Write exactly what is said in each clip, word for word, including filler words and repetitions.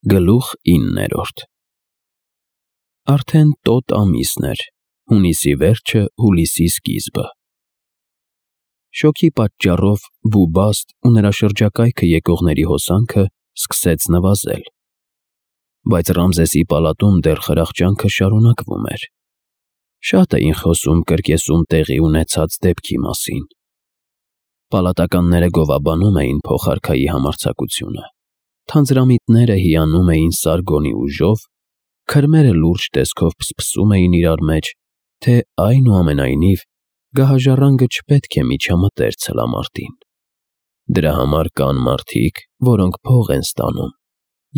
Գլուխ իններորդ Արդեն տոտ ամիսն էր, հունիսի վերջը, հուլիսի սկիզբը։ Շոգի պատճառով Բուբաստ ու նրա շրջակայքը եկողների հոսանքը սկսեց նվազել, բայց Ռամզեսի պալատում դեռ խրախճանքը շարունակվում էր։ Շատ էին խոսում կրկեսում տեղի ունեցած դեպքի մասին։ Պալատականները գովաբանում էին փոխարքայի համարձակությունը, թանձրամիտները հիանում էին Սարգոնի ուժով, քրմերը լուրջ տեսքով փսփսում էին իրար մեջ, թե այնուամենայնիվ գահաժառանգը չպետք է միջամտեր ցլամարտին։ Դրա համար կան մարդիկ, որոնք փող են ստանում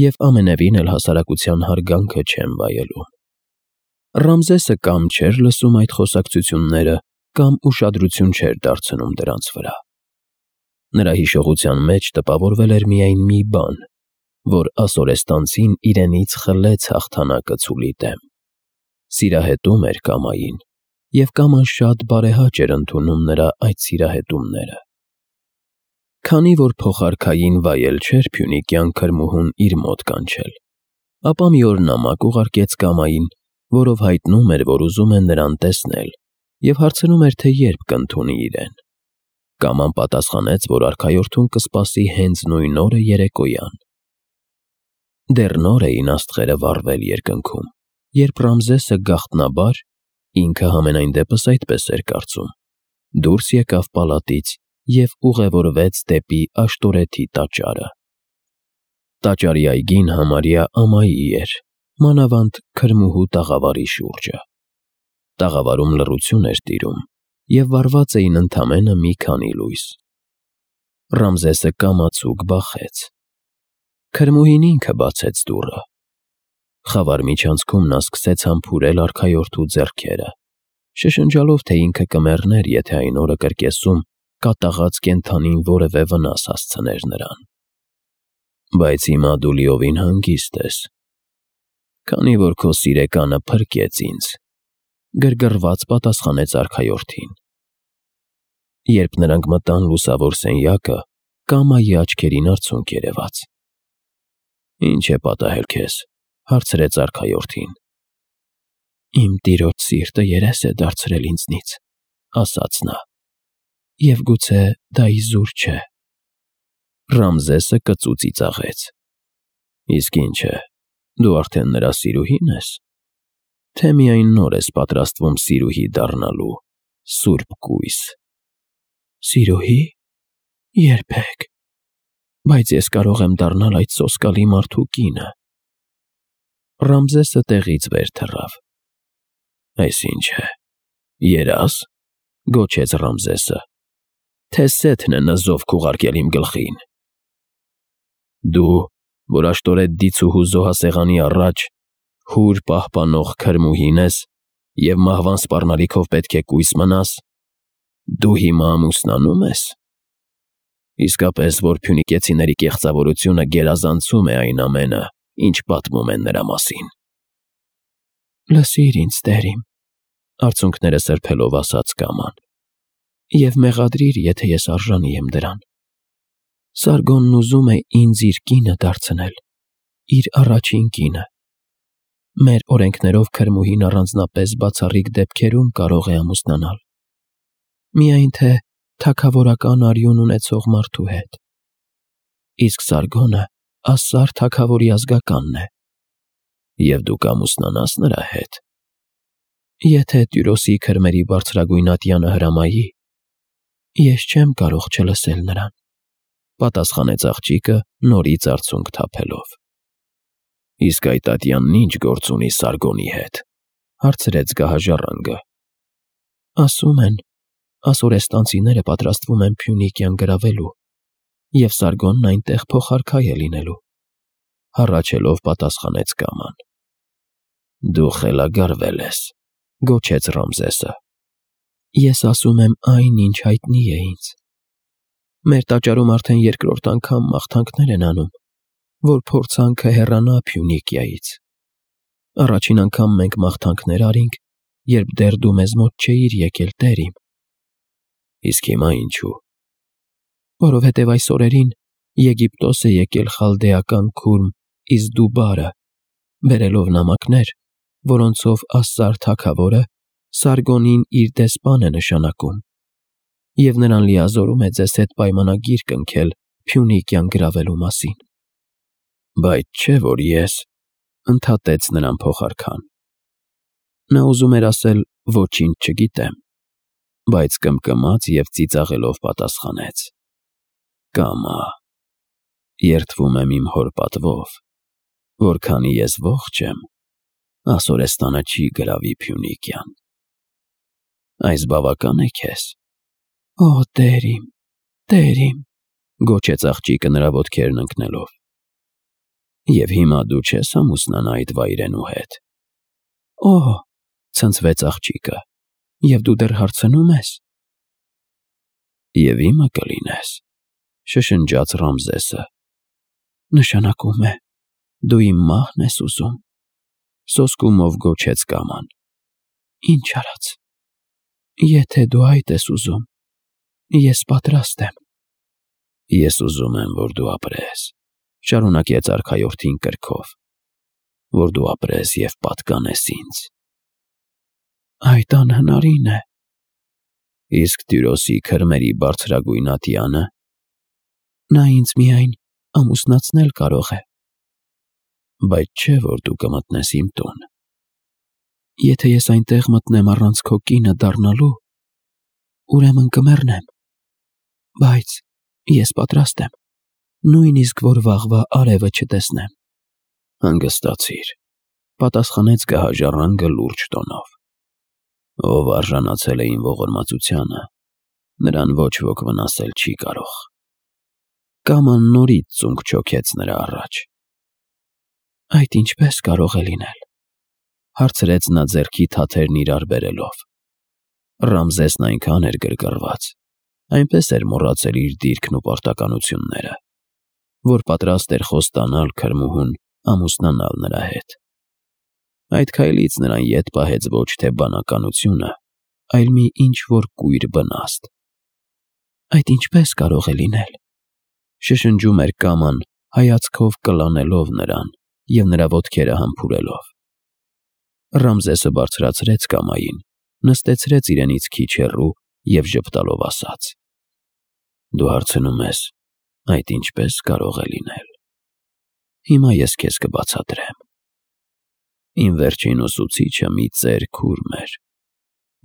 և ամենևին էլ հասարակության հարգանքը չեն վայելում։ Ռամզեսը կամ չէր լսում այդ խոսակցությունները, կամ ուշադրություն չէր դարձնում դրանց վրա։ Նրա հիշողության մեջ տպավորվել էր միայն մի բան, որ ասորեստանցին իրենից խլեց հաղթանակը ցուլի դեմ։ Սիրահետում էր կամային, և կաման շատ բարեհաճ էր ընդունում նրա այդ սիրահետումները։ Քանի որ փոխարքային վայել չէր Փյունիկյան քրմուհուն իր մոտ կանչել, ապա մի օր նամակ ուղարկեց կամային, որով հայտնում էր, որ ուզում է նրան տեսնել, և հարցնում էր, թե երբ կընդունի իրեն։ Կաման պատասխանեց, որ արքայորդուն կսպասի հենց նույն օրը երեկոյան։ Դեռ նոր էին աստղերը վառվել երկնքում, երբ Ռամզեսը գաղտնաբար, ինքը համենայն դեպս այդպես էր կարծում, դուրս եկավ պալատից և ուղևորվեց դեպի Աշտորեթի տաճարը։ Տաճարի այգին համարյա ամայի էր, մանավանդ քրմուհու տաղավարի շուրջը։ Տաղավարում լռություն էր տիրում, և վառված էին ընդամենը մի քանի լույս։ Ռամզեսը կամացուկ բախեց։ Քրմուհին ինքը բացեց դուռը։ Խավար միջանցքում նա սկսեց համբուրել արքայորդու ձեռքերը, շշնջալով, թե ինքը կմեռներ, եթե այն օրը կրկեսում կատաղած կենդանին որևէ վնաս հասցներ նրան։ Բայց հիմա դու լիովին հանգիստ ես, քանի որ քո սիրեկանը փրկեց ինձ, գրգռված պատասխանեց արքայորդին։ Երբ նրանք մտան լուսավոր սենյակը, կամայի աչքերին արցունք երևաց։ Ինչ է պատահել քեզ, հարցրեց արքայորդին։ Իմ տիրոջ սիրտը երես է դարձրել ինձնից, ասաց նա, և գուցե դա իզուր չէ։ Ռամզեսը կծու ծիծաղեց։ Իսկ ինչ է, դու արդեն նրա սիրուհի՞ն ես, թե միայն նոր ես պատրաստվում սիրուհի դառնալու, սուրբ կույս։ Սիրուհի՞, երբեք, բայց ես կարող եմ դառնալ այդ սոսկալի մարդու կինը։ Ռամզեսը տեղից վեր թռավ։ Այս ինչ է, երաս, գոչեց Ռամզեսը, թե սեթն է նզով քուղարկել իմ գլխին։ Դու, որ Աշտորեթ դիցուհու զոհասեղանի առաջ հուր պահպանող քրմուհին ես և մահվան սպառնալիքով պետք է կույս մնաս, դու հիմա ամուսնանո՞ւմ ես։ Իսկապես, որ փյունիկեցիների կեղծավորությունը գերազանցում է այն ամենը, ինչ պատմում են նրա մասին։ Լսիր ինձ, տեր իմ, արցունքները սրբելով ասաց կաման, և մեղադրիր, եթե ես արժանի եմ դրան։ Սարգոնն ուզում է ինձ իր կինը դարձնել, իր առաջին կինը։ Մեր օրենքներով քրմուհին առանձնապես բացառիկ դեպքերում կարող է ամուսնանալ, միայն թե թագավորական արյուն ունեցող մարդու հետ։ Իսկ Սարգոնը ասար թագավորի ազգականն է։ Եվ դու կամուսնանաս նրա հետ։ Եթե Տյուրոսի քրմերի բարձրագույն ատյանը հրամայի, ես չեմ կարող չլսել նրան, պատասխանեց աղջիկը նորից արցունք թափելով։ Իսկ այդ ատյանն ինչ գործ ունի Սարգոնի հետ, հարցրեց գահաժառանգը։ Ասում են, ասորեստանցիները պատրաստվում են Փյունիկյան գրավելու, և Սարգոնն այնտեղ փոխարքայ է լինելու, հառաչելով պատասխանեց կաման։ Դու խելագարվել ես, գոչեց Ռամզեսը։ Ես ասում եմ այն, ինչ հայտնի է ինձ։ Մեր տաճարում արդեն երկրորդ անգամ մաղթանքներ են անում, որ փորձանքը հեռանա Փյունիկիայից։ Առաջին անգամ մենք մաղթանքներ արինք, երբ դեռ դու մեզ մոտ չէիր եկել, տեր իմ։ Իսկ հիմա ինչու։ Որովհետև այս օրերին Եգիպտոս է եկել խալդեական քուրմ իսկ դու բարը, բերելով նամակներ, որոնցով Ասսար թագավորը Սարգոնին իր դեսպան է նշանակում և նրան լիազորում է ձեզ հետ պայմանագիր կնքել Փյունիկյան գրավելու մասին։ Բայց չէ՞ որ ես, ընդհատեց նրան փոխարքան։ Նա ուզում էր ասել ոչինչ չգիտեմ, բայց կմկմաց և ծիծաղելով պատասխանեց. Կամա, երդվում եմ իմ հոր պատվով, որ քանի ես ողջ եմ, Ասորեստանը չի գրավի Փյունիկյան։ Այս բավական է քեզ։ Օ, տեր իմ, տեր իմ, գոչեց աղջիկը նրա ոտքերն ընկնելով։ Եվ հիմա դու չես ամուսնանա այդ վայրենու հետ։ Օ, ցնցվեց աղջիկը, և դու դեռ հարցնում ես։ Եվ իմը կլինես, շշնջաց Ռամզեսը։ Նշանակում է, դու իմ մահն ես ուզում, սոսկումով գոչեց Կաման։ Ինչ արած։ Եթե դու այդ ես ուզում, ես պատրաստ եմ։ Ես ուզում եմ, որ դու ապրես, շարունակեց արքայորդին կրքով, որ դու ապրես և պատկանես ինձ։ Այդ անհնարին է։ Իսկ Տյուրոսի քրմերի բարձրագույն ատյանը։ Նա ինձ միայն ամուսնացնել կարող է։ Բայց չէ՞ որ դու կմտնես իմ տուն։ Եթե ես այնտեղ մտնեմ առանց քո կինը դառնալու, ուրեմն կմեռնեմ, բայց ես պատրաստ եմ, նույնիսկ որ վաղվա արևը չտեսնեմ։ Հանգստացիր, պատասխանեց գահաժառանգը լուրջ տոնով։ Ով արժանացել է իմ ողորմածությանը, նրան ոչ ոք վնասել չի կարող։ Կաման նորից ծունկ չոքեց նրա առաջ։ Այդ ինչպես կարող է լինել, հարցրեց նա ձեռքի թաթերն իրար բերելով։ Ռամզեսն այնքան էր գրգռված, այնպես էր մոռացել իր դիրքն ու պարտականությունները, որ պատրաստ էր խոստանալ քրմուհուն ամուսնանալ նրա հետ։ Այդ քայլից նրան ետ պահեց ոչ թե բանականությունը, այլ մի ինչ-որ կույր բնաստ։ Այդ ինչպես կարող է լինել, շշնջում էր Կաման, հայացքով կլանելով նրան և նրա ոտքերը համբուրելով։ Ռամզեսը բարձրացրեց Կամային, նստեցրեց իրենից քիչ հեռու և ժպտալով ասաց. Դու հարցնում ես, այդ ինչպես կարող է լինել։ Հիմա ես քեզ կբացատրեմ։ Իմ վերջին ուսուցիչը մի ծեր քուրմ էր,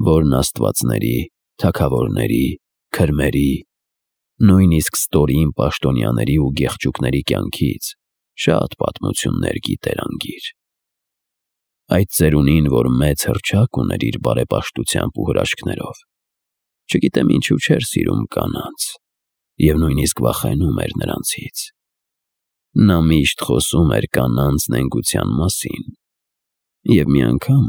որն աստվածների, թագավորների, քրմերի, նույնիսկ ստորին պաշտոնյաների ու գեղչուկների կյանքից շատ պատմություններ գիտեր անգիր։ Այդ ծերունին, որ մեծ հռչակ ուներ իր բարեպաշտությամբ ու հրաշքներով, չգիտեմ ինչու չէր սիրում կանանց և նույնիսկ վախենում էր նրանցից։ Նա միշտ խոսում էր կանանց նենգության մասին և մի անգամ,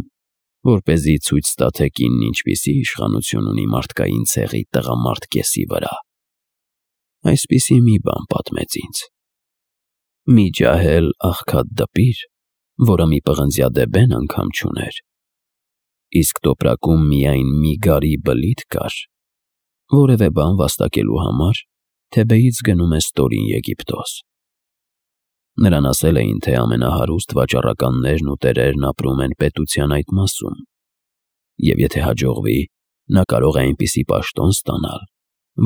որպեսզի ցույց տա, թե կինն ինչպիսի իշխանություն ունի մարդկային ցեղի տղամարդ կեսի վրա, այսպիսի մի բան պատմեց ինձ. Մի ջահել աղքատ դպիր, որը մի պղնձյադեբեն անգամ չուներ, իսկ տոպրակում միայն մի գարի բլիթ կար, որևէ բան վաստակելու համար Թեբեից գնում է ստորին Եգիպտոս։ Նրան ասել էին, թե ամենահարուստ վաճառականներն ու տերերն ապրում են պետության այդ մասում, և եթե հաջողվի, նա կարող է այնպիսի պաշտոն ստանալ,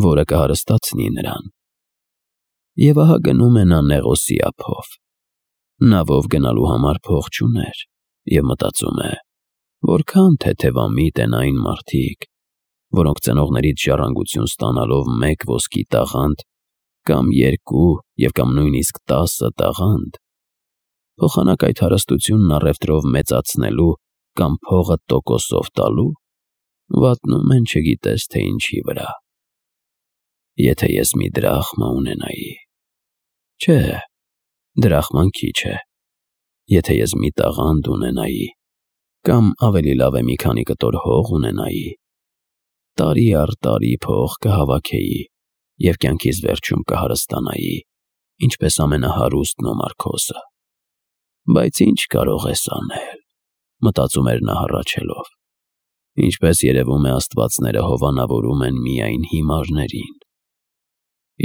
որը կհարստացնի նրան։ Եվ ահա գնում է նա Նեղոսի ափով։ Նավով գնալու համար փող չուներ և մտածում է, որքան թեթևամիտ են այն մարդիկ, որոնք ծնողներից ժառանգություն ստանալով մեկ ոսկի տաղանդ կամ երկու և կամ նույնիսկ տասը տաղանդ, փոխանակ այդ հարստությունն առևտրով մեծացնելու կամ փողը տոկոսով տալու, վատնում են չգիտես թե ինչի վրա։ Եթե ես մի դրախմա ունենայի, չէ, դրախման քիչ է, եթե ես մի տաղանդ ունենայի, կամ ավելի լավ է մի քանի կտոր հող ունենայի, տարի առ տարի փող կհավաքեի և կյանքիս վերջում կհարստանայի, ինչպես ամենահարուստն ու Մարգոսը։ Բայց ինչ կարող ես անել, մտածում էր նա հառաչելով, ինչպես երևում է աստվածները հովանավորում են միայն հիմարներին,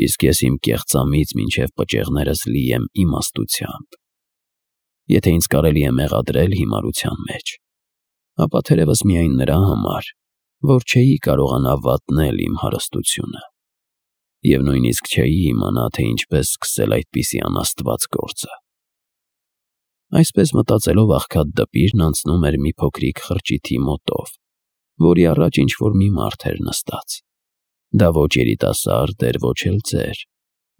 իսկ ես իմ կեղծամից մինչև պճեղներս լի եմ իմաստությամբ, Եթե ինձ կարելի է մեղադրել հիմարության մեջ, ապա թերևս միայն նրա համար, որ չէի կարողանա վատնել իմ հարստությունը, և նույնիսկ չէի իմանա, թե ինչպես սկսել այդպիսի անաստված գործը։ Այսպես մտածելով աղքատ դպիրն անցնում էր մի փոքրիկ խրճիթի մոտով, որի առաջ ինչ-որ մի մարդ էր նստած։ Դա ոչ երիտասարդ էր, ոչ էլ ծեր,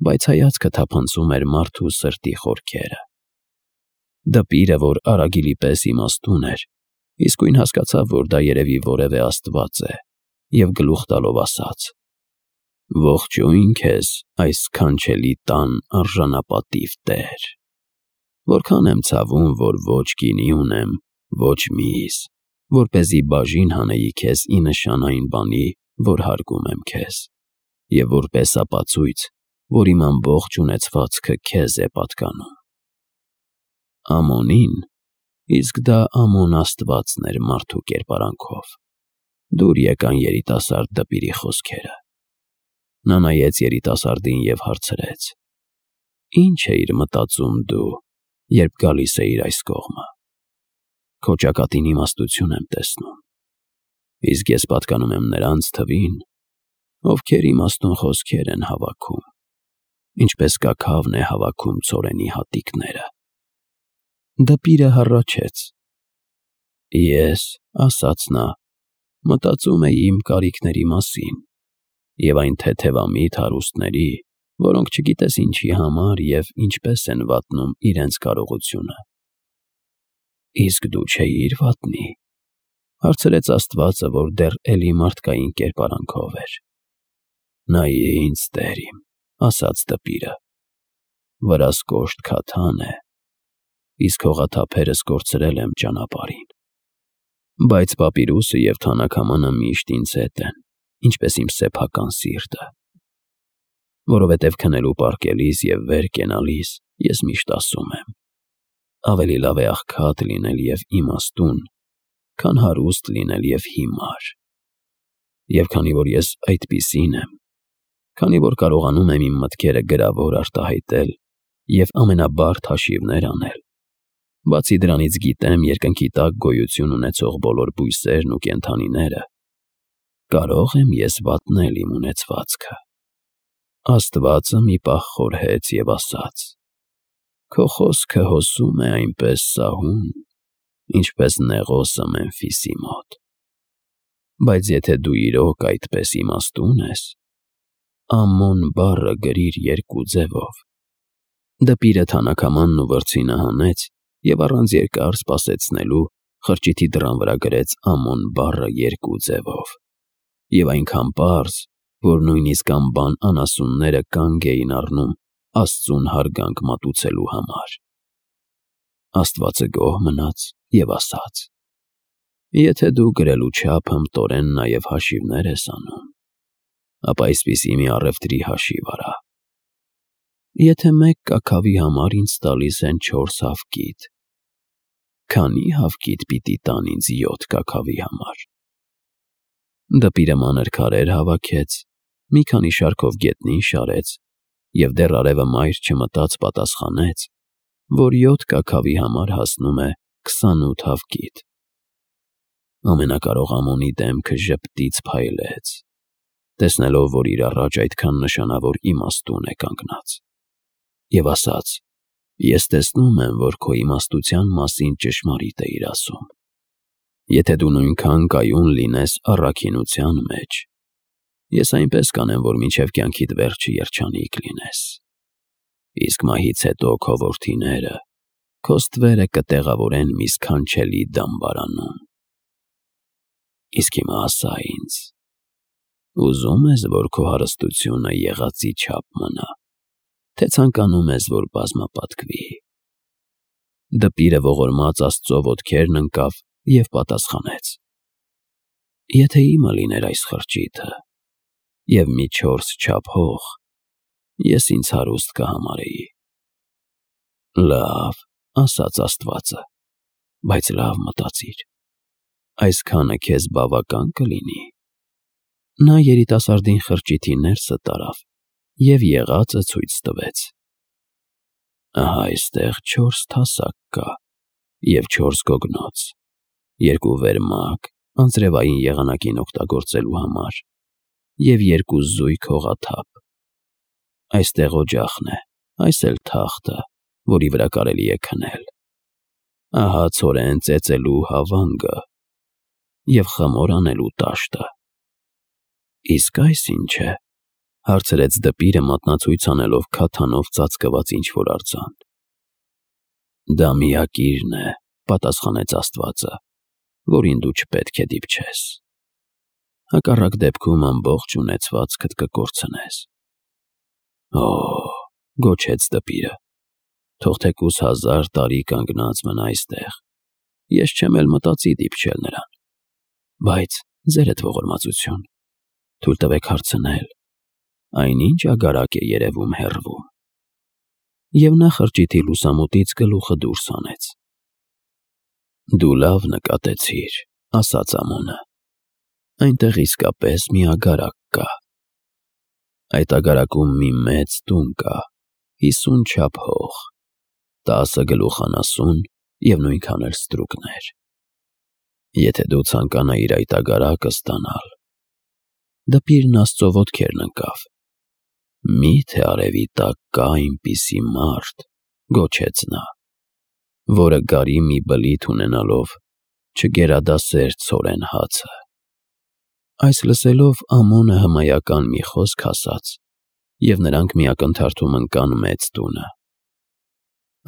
բայց հայացքը թափանցում էր մարդու սրտի խորքերը։ Դպիրը, որ արագիլի պես իմաստուն էր, իսկույն հասկացավ, որ դա երևի որևէ աստված է, և գլուխ տալով ասաց. «Ողջույն քեզ, այս սքանչելի տան արժանապատիվ տեր։ Որքան եմ ցավում, որ ոչ գինի ունեմ, ոչ միս, որպեսզի բաժին հանեի քեզ ի նշան այն բանի, որ հարգում եմ քեզ, և որպես ապացույց, որ իմ ամբողջ ունեցվածքը քեզ է պատկանում»։ Ամոնին, իսկ դա Ամոն աստվածն էր մարդու կերպարանքով, դուր եկան երիտասարդ դպիրի խոսքերը։ Նա նայեց երիտասարդին և հարցրեց. «Ինչ էիր մտածում դու, երբ գալիս էիր այս կողմը»։ «Քո ճակատին իմաստություն եմ տեսնում, իսկ ես պատկանում եմ նրանց թվին, ովքեր իմաստուն խոսքեր են հավաքում, ինչպես կաքավն է հավաքում ցորենի հատիկները»։ Դպիրը հառաչեց. «Ես, — ասաց նա, — մտածում էի իմ կարիքների մասին և այն թեթևամիտ հարուստների, որոնք չգիտես ինչի համար և ինչպես են վատնում իրենց կարողությունը»։ «Իսկ դու չէի՞ր վատնի», — հարցրեց աստվածը, որ դեռ էլի մարդկային կերպարանքով էր։ «Նայի ինձ, տեր իմ, — ասաց դպիրը, — վրաս կոշտ քաթան է, իսկ հողաթափերս կորցրել եմ ճանապարհին։ Բայց պապիրուսը և թանաքամանը միշտ ինձ հետ են, ինչպես իմ սեփական սիրտը։ Որովհետև քնելու պառկելիս և վեր կենալիս ես միշտ ասում եմ. ավելի լավ է աղքատ լինել և իմաստուն, քան հարուստ լինել և հիմար։ Եվ քանի որ ես այդպիսին եմ, քանի որ կարողանում եմ իմ մտքերը գրավոր արտահայտել և ամենաբարդ հաշիվներ անել, բացի դրանից գիտեմ երկնքի տակ գոյություն ունեցող բոլոր բույսերն ու կենդանիները, կարող եմ ես վատնել իմ ունեցվածքը»։ Աստվածը մի պահ խորհեց և ասաց. «Քո խոսքը հոսում է այնպես սահուն, ինչպես Նեղոսը Մեմֆիսի մոտ։ Բայց եթե դու իրոք այդպես իմաստուն ես, Ամոն բառը գրիր երկու ձևով»։ Դպիրը թանաքամանն ու վրձինը հանեց և առանց երկար սպասեցնելու խրճիթի դռան վրա գրեց Ամոն բառը երկու ձևով, և այնքան պարզ, որ նույնիսկ անբան անասունները կանգ էին առնում Աստծուն հարգանք մատուցելու համար։ Աստվածը գոհ մնաց և ասաց. «Եթե դու գրելու չափ հմտորեն նաև հաշիվներ ես անում, ապա այսպիսի մի առևտրի հաշիվ արա. եթե մեկ կաքավի համար ինձ տալիս են չորս հավկիթ, քանի՞ հավկիթ պիտի տան ինձ յոթ կաքավի համար»։ Դպիրը մանր քարեր հավաքեց, մի քանի շարքով գետնին շարեց և դեռ արևը մայր չմտած պատասխանեց, որ յոթ կաքավի համար հասնում է քսանութ հավկիթ։ Ամենակարող Ամոնի դեմքը ժպտից փայլեց, տեսնելով, որ իր առաջ այդքան նշանավոր իմաստուն է կանգնած, և ասաց. «Ես տեսնում եմ, որ քո իմաստության մասին ճշմարիտ էիր ասում։ Եթե դու նույնքան կայուն լինես առաքինության մեջ, ես այնպես կանեմ, որ մինչև կյանքիդ վերջը երջանիկ լինես։ Իսկ մահից հետո քո որդիները քո ստվերը կտեղավորեն մի սքանչելի դամբարանում։ Իսկ հիմա ասա ինձ. ուզո՞ւմ ես, որ քո հարստությունը եղածի չափ մնա, թե ցանկանում ես, որ բազմապատկվի»։ Դպիրը ողորմած Աստծո ոտքերն ընկավ և պատասխանեց. «Եթե իմը լիներ այս խրճիթը և մի չորս չափ հող, ես ինձ հարուստ կհամարեի»։ «Լավ, — ասաց աստվածը, — բայց լավ մտածիր. այսքանը քեզ բավական կլինի»։ Նա երիտասարդին խրճիթի ներսը տարավ և եղածը ցույց տվեց։ Ահա այստեղ չորս թասակ կա և չորս գոգնոց, երկու վերմակ անձրևային եղանակին օգտագործելու համար և երկու զույգ հողաթափ։ Այստեղ օջախն է, այս էլ թախտը, որի վրա կարելի է քնել։ Ահա ցորեն ծեծելու հավանգը և խմոր անելու տաշտը։ Իսկ այս ի՞նչ է, հարցրեց դպիրը մատնացույց անելով քաթանով ծածկված ինչ-որ արձան։ Դա միակիրն է, պատասխանեց աստվածը, որին դու չպետք է դիպչես։ Հակառակ դեպքում ամբողջ ունեցվածքդ կկորցնես։ Օ՜, գոչեց դպիրը, թող թեկուզ հազար տարի կանգնած մնա այստեղ, ես չեմ էլ մտածի դիպչել նրան։ Բայց ձերդ ողորմածություն, թույլ տվեք հարցնել, այնինչ ագարակ է երևում հեռվում։ Եվ նա խրճիթի լուսամուտից գլուխը դուրս հանեց։ Դու լավ նկատեցիր, ասաց Ամոնը, այնտեղ իսկապես մի ագարակ կա։ Այդ ագարակում մի մեծ տուն կա, հիսուն չափ հող, տասը գլուխանասուն և նույնքան էլ ստրուկներ։ Եթե դու ցանկանայիր այդ ագարակը ստանալ… Դպիրն Աստծո ոտքերն ընկավ։ Մի՞թե արևի տակ կա այնպիսի մարդ, գոչեց նա, որը գարի մի բլիթ ունենալով չգերադասեր ցորեն հացը։ Այս լսելով Ամոնը հմայական մի խոսք ասաց, և նրանք մի ակնթարթում ընկան մեծ տունը։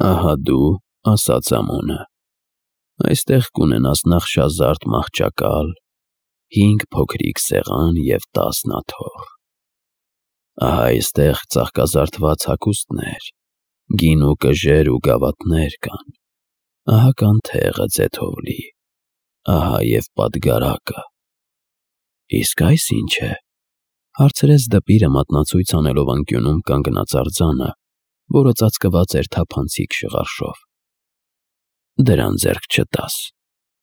Ահա դու, ասաց Ամոնը, այստեղ կունենաս նախշազարդ մահճակալ, հինգ փոքրիկ սեղան և տասն աթոռ։ Ահա այստեղ ծաղկազարդված հագուստներ, գին ու կժեր ու գավաթներ կան, ահա կանթեղը ձեթով լի, ահա և պատգարակը։ Իսկ այս ի՞նչ է, հարցրեց դպիրը մատնացույց անելով անկյունում կանգնած արձանը, որը ծածկված էր թափանցիկ շղարշով։ Դրան ձեռք չտաս,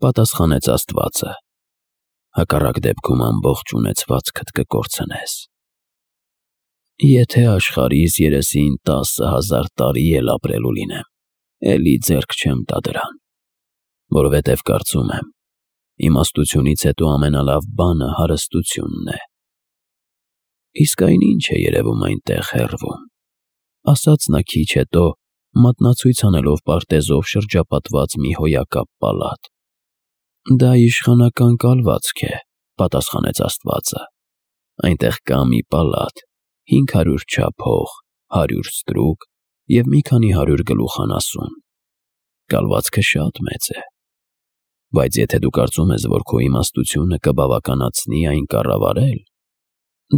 պատասխանեց աստվածը, հակառակ դեպքում ամբողջ ունեցվածքդ կկորցնես։ Եթե աշխարհիս երեսին տասը հազար տարի էլ ապրելու լինեմ, էլի ձեռք չեմ տա դրան, որովհետև կարծում եմ, իմաստությունից հետո ամենալավ բանը հարստությունն է։ Իսկ այն ի՞նչ է երևում այնտեղ հեռվում, ասաց նա քիչ հետո, մատնացույց անելով պարտեզով շրջապատված մի հոյակապ պալատ։ Դա իշխանական կալվածք է, պատասխանեց աստվածը, այնտեղ կա մի պալատ, հինգ հարյուր չափ հող, հարյուր ստրուկ և մի քանի հարյուր գլուխանասուն։ Կալվածքը շատ մեծ է։ Բայց եթե դու կարծում ես, որ քո իմաստությունը կբավականացնի այն կառավարել…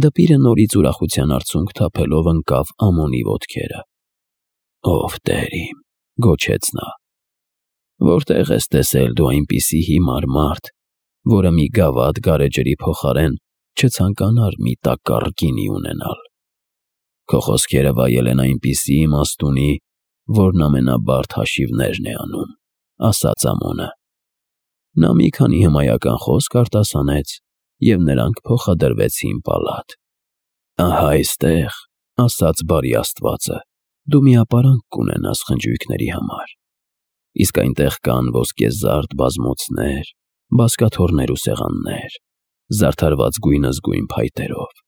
Դպիրը նորից ուրախության արցունք թափելով ընկավ Ամոնի ոտքերը։ Ով Տեր իմ, գոչեց նա, որտե՞ղ ես տեսել դու այնպիսի հիմար մարդ, որը մի գավաթ գարեջրի փոխարեն չցանկանար մի տակառ գինի ունենալ։ Քո խոսքերը վայել են այնպիսի իմաստունի, որն ամենաբարդ հաշիվներն է անում, ասաց Ամոնը։ Նա մի քանի հմայական խոսք արտասանեց, և նրանք փոխադրվեցին պալատ։ Ահա այստեղ, ասաց բարի աստվածը, դու մի ապարանք կունենաս խնջույքների համար, իսկ այնտեղ կան ոսկեզարդ բազմոցներ, բազկաթոռներ ու սեղաններ, զարդարված գույնզգույն փայտերով։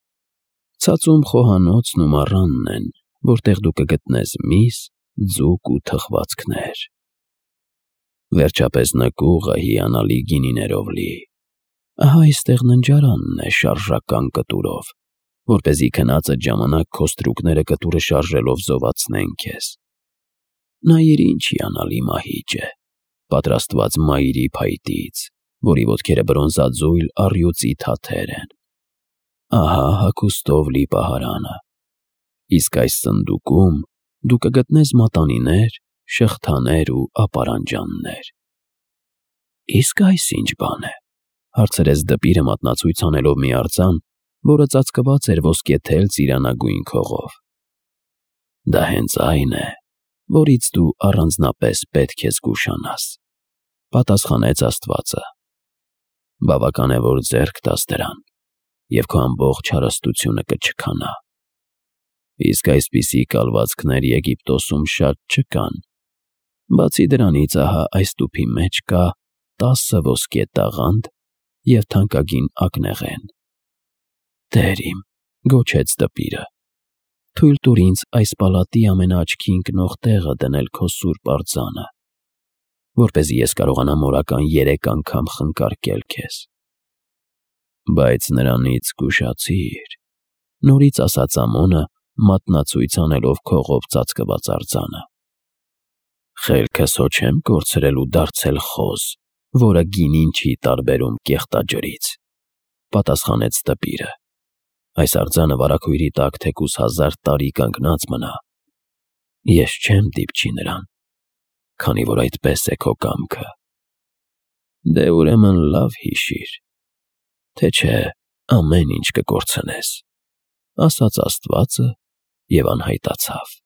Ցածում խոհանոցն ու մառանն են, որտեղ դու կգտնես միս, ձուկ ու թխվածքներ։ Վերջապես նկուղը հիանալի գինիներով լի։ Ահա այստեղ ննջարանն է շարժական կտուրով, որպեսզի քնածդ ժամանակ քո ստրուկները կտուրը շարժելով զովացնեն քեզ։ Նայիր ինչ հիանալի մահիճ է, պատրաստված մայրի փայտից, որի ոտքերը բրոնզաձույլ առյուծի թաթեր են։ Ահա հագուստով լի պահարանը։ Իսկ այս սնդուկում դու կգտնես մատանիներ, շղթաներ ու ապարանջաններ։ Իսկ այս ի՞նչ բան է, հարցրեց դպիրը մատնացույց անելով մի արձան, որը ծածկված էր ոսկեթել ծիրանագույն քողով։ Դա հենց այն է, որից դու առանձնապես պետք է զգուշանաս, պատասխանեց աստվածը։ Բավական է, որ ձեռք տաս դրան, և քո ամբողջ հարստությունը կչքանա։ Իսկ այսպիսի կալվածքներ Եգիպտոսում շատ չկան։ Բացի դրանից, ահա այս տուփի մեջ կա տասը ոսկե տաղանդ և թանկագին ակնեղեն։ Տեր իմ, գոչեց դպիրը, թույլ տուր ինձ այս պալատի ամենաաչքի ընկնող տեղը դնել քո սուրբ արձանը, որպեսզի ես կարողանամ օրական երեք անգամ խնկարկել քեզ։ Բայց նրանից զգուշացիր, նորից ասաց Ամոնը, մատնացույց անելով քողով ծածկված արձանը։ Խելքս հո չեմ կորցրել ու դարձել խոզ, որը գինին չի տարբերում կեղտաջրից, պատասխանեց դպիրը։ Այս արձանը վարագույրի տակ թեկուզ հազար տարի կանգնած մնա, ես չեմ դիպչի նրան, քանի որ այդպես է քո կամքը։ Դե ուրեմն լավ հիշիր, թե չէ ամեն ինչ կկորցնես, ասաց աստվածը և անհայտացավ։